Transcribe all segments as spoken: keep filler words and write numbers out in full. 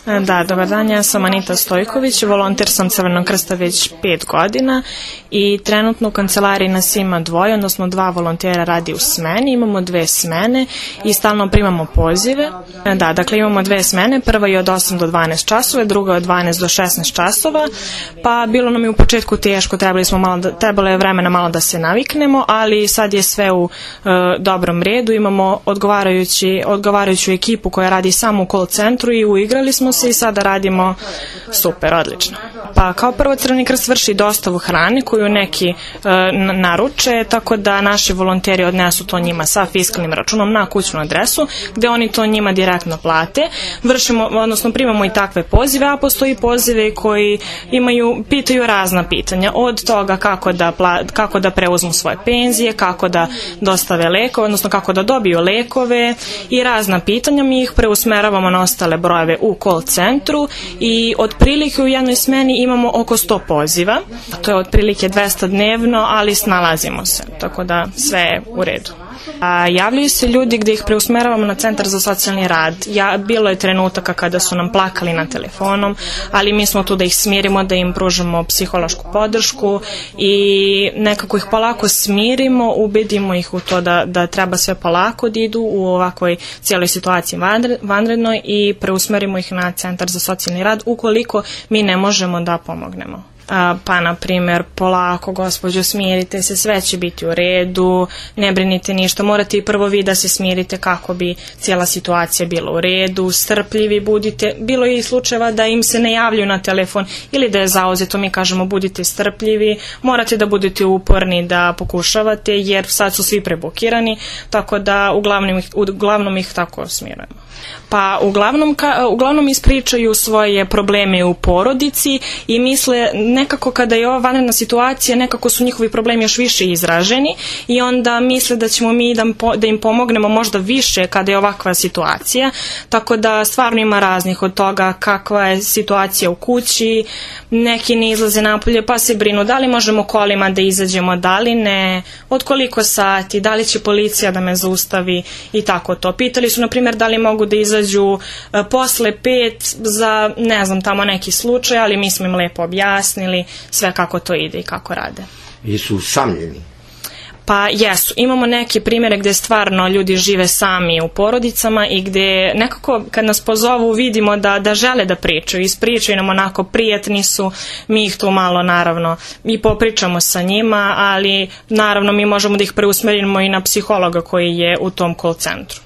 Da, dobar dan, ja sam Anita Stojković, volonter sam Crvenog krsta već pet godina i trenutno u kancelariji nas ima dvoje, odnosno dva volontera radi u smeni, imamo dve smene i stalno primamo pozive. Da, dakle imamo dve smene, prva je od osam do dvanaest časova, druga je od dvanaest do šesnaest časova, pa bilo nam je u početku teško, trebali smo malo da, trebalo je vremena malo da se naviknemo, ali sad je sve u e, dobrom redu, imamo odgovarajući, odgovarajuću ekipu koja radi samo u call centru i uigrali smo se i sada radimo super, odlično. Pa kao prvo Crveni krst vrši dostavu hrane koju neki e, naruče, tako da naši volonteri odnesu to njima sa fiskalnim računom na kućnu adresu, gde oni to njima direktno plate. Vršimo, odnosno primamo i takve pozive, a postoji pozive koji imaju, pitaju razna pitanja, od toga kako da, pla, kako da preuzmu svoje penzije, kako da dostave lekove, odnosno kako da dobiju lekove i razna pitanja. Mi ih preusmeravamo na ostale brojeve u call centru i otprilike u jednoj smeni imamo oko sto poziva. To je otprilike dvesta dnevno, ali snalazimo se, tako da sve je u redu. A javljaju se ljudi gde ih preusmeravamo na centar za socijalni rad. Ja, bilo je trenutaka kada su nam plakali na telefonom, ali mi smo tu da ih smirimo, da im pružamo psihološku podršku i nekako ih polako smirimo, ubedimo ih u to da, da treba sve polako da idu u ovakvoj cijeloj situaciji vanrednoj i preusmerimo ih na centar za socijalni rad ukoliko mi ne možemo da pomognemo. Pa, na primjer, polako, gospođo, smirite se, sve će biti u redu, ne brinite ništa, morate i prvo vi da se smirite kako bi cijela situacija bila u redu, strpljivi budite. Bilo je i slučajeva da im se ne javljaju na telefon ili da je zauzeto, mi kažemo budite strpljivi, morate da budete uporni, da pokušavate, jer sad su svi prebukirani, tako da uglavnom ih, uglavnom ih tako smirujemo. Pa uglavnom, ka, uglavnom ispričaju svoje probleme u porodici i misle nekako kada je ova vanredna situacija, nekako su njihovi problemi još više izraženi i onda misle da ćemo mi da, da im pomognemo možda više kada je ovakva situacija, tako da stvarno ima raznih od toga kakva je situacija u kući, neki ne izlaze napolje pa se brinu da li možemo kolima da izađemo, da li ne, od koliko sati, da li će policija da me zaustavi i tako to. Pitali su na primjer da li mogu da izađu e, posle pet za, ne znam, tamo neki slučaj, ali mi smo im lepo objasnili sve kako to ide i kako rade. I su usamljeni? Pa jesu. Imamo neke primjere gde stvarno ljudi žive sami u porodicama i gde nekako kad nas pozovu vidimo da, da žele da pričaju, ispričaju nam onako, prijatni su, mi ih tu malo naravno i popričamo sa njima, ali naravno mi možemo da ih preusmerimo i na psihologa koji je u tom call centru.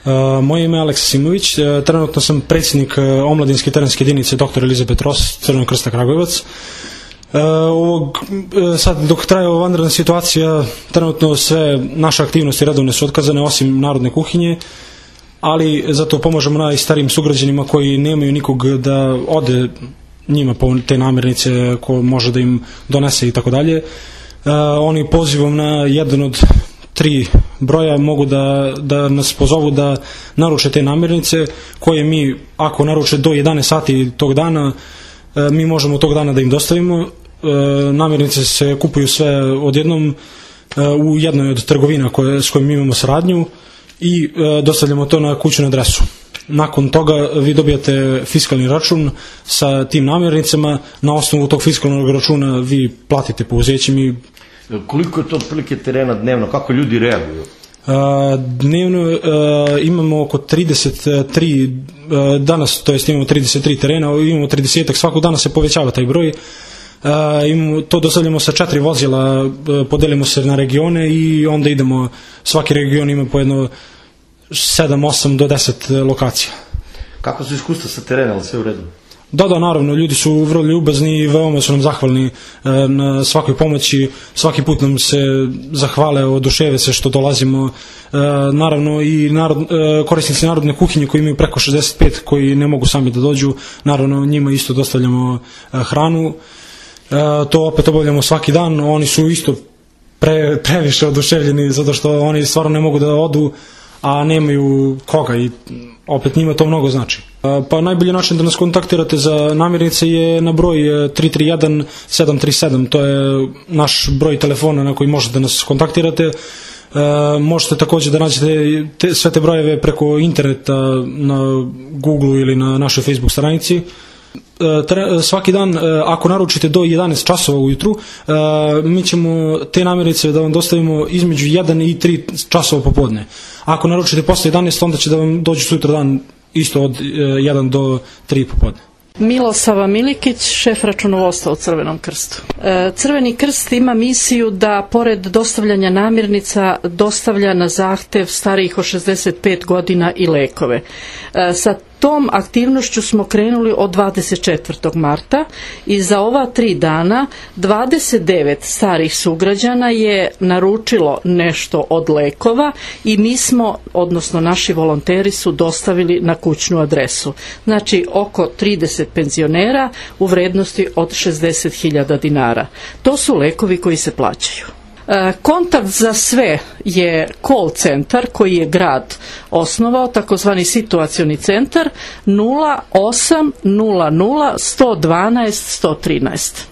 Uh, moje ime je Aleksa Simović, uh, trenutno sam predsjednik uh, omladinske terenske jedinice doktor Elizabet Ross, Crvenog krsta Kragujevac. Uh, ovog, uh, sad dok traje ova vanredna situacija, trenutno sve naše aktivnosti redovne su otkazane osim narodne kuhinje, ali zato pomažemo najstarijim sugrađanima koji nemaju nikog da ode njima po te namirnice ko može da im donese i tako dalje. Oni pozivom na jedan od tri broja mogu da, da nas pozovu da naruče te namirnice koje mi, ako naruče do jedanaest sati tog dana, mi možemo tog dana da im dostavimo. Namirnice se kupuju sve odjednom u jednoj od trgovina koje, s kojim mi imamo saradnju i dostavljamo to na kućnu adresu. Nakon toga vi dobijate fiskalni račun sa tim namirnicama, na osnovu tog fiskalnog računa vi platite pouzećem i... Koliko je to otprilike terena dnevno, kako ljudi reaguju? Dnevno imamo oko trideset tri, danas to jest imamo trideset tri terena, imamo trideset, svakog dana se povećava taj broj. To dostavljamo sa četiri vozila, podelimo se na regione i onda idemo, svaki region ima po jedno sedam osam do deset lokacija. Kako su iskustva sa terena, ali sve u redu? Da, da, naravno, ljudi su vrlo ljubazni i veoma su nam zahvalni na svakoj pomoći, svaki put nam se zahvale, oduševe se što dolazimo. Naravno i narod, korisnici narodne kuhinje koji imaju preko šezdeset pet, koji ne mogu sami da dođu, naravno njima isto dostavljamo hranu. To opet obavljamo svaki dan, oni su isto pre, previše oduševljeni zato što oni stvarno ne mogu da odu, a nemaju koga i opet njima to mnogo znači. Pa najbolji način da nas kontaktirate za namirnice je na broj tri tri jedan sedam tri sedam, to je naš broj telefona na koji možete da nas kontaktirate. možete također da nađete te, sve te brojeve preko interneta na Google ili na našoj Facebook stranici. Svaki dan, ako naručite do jedanaest časova ujutru, mi ćemo te namirnice da vam dostavimo između jedan i tri časova popodne. Ako naručite posle jedanaest, onda će da vam dođu sutra dan isto od jedan do tri popodne. Milosava Milikić, šef računovodstva u Crvenom krstu. Crveni krst ima misiju da pored dostavljanja namirnica dostavlja na zahtev starijih od šezdeset pet godina i lekove. Sa tom aktivnošću smo krenuli od dvadeset četvrtog marta i za ova tri dana dvadeset devet starih sugrađana je naručilo nešto od lekova i mi smo, odnosno naši volonteri su dostavili na kućnu adresu. Znači oko trideset penzionera u vrednosti od šezdeset hiljada dinara. To su lekovi koji se plaćaju. Kontakt za sve je call centar koji je grad osnovao, takozvani situacioni centar nula osam nula nula sto dvanaest sto trinaest.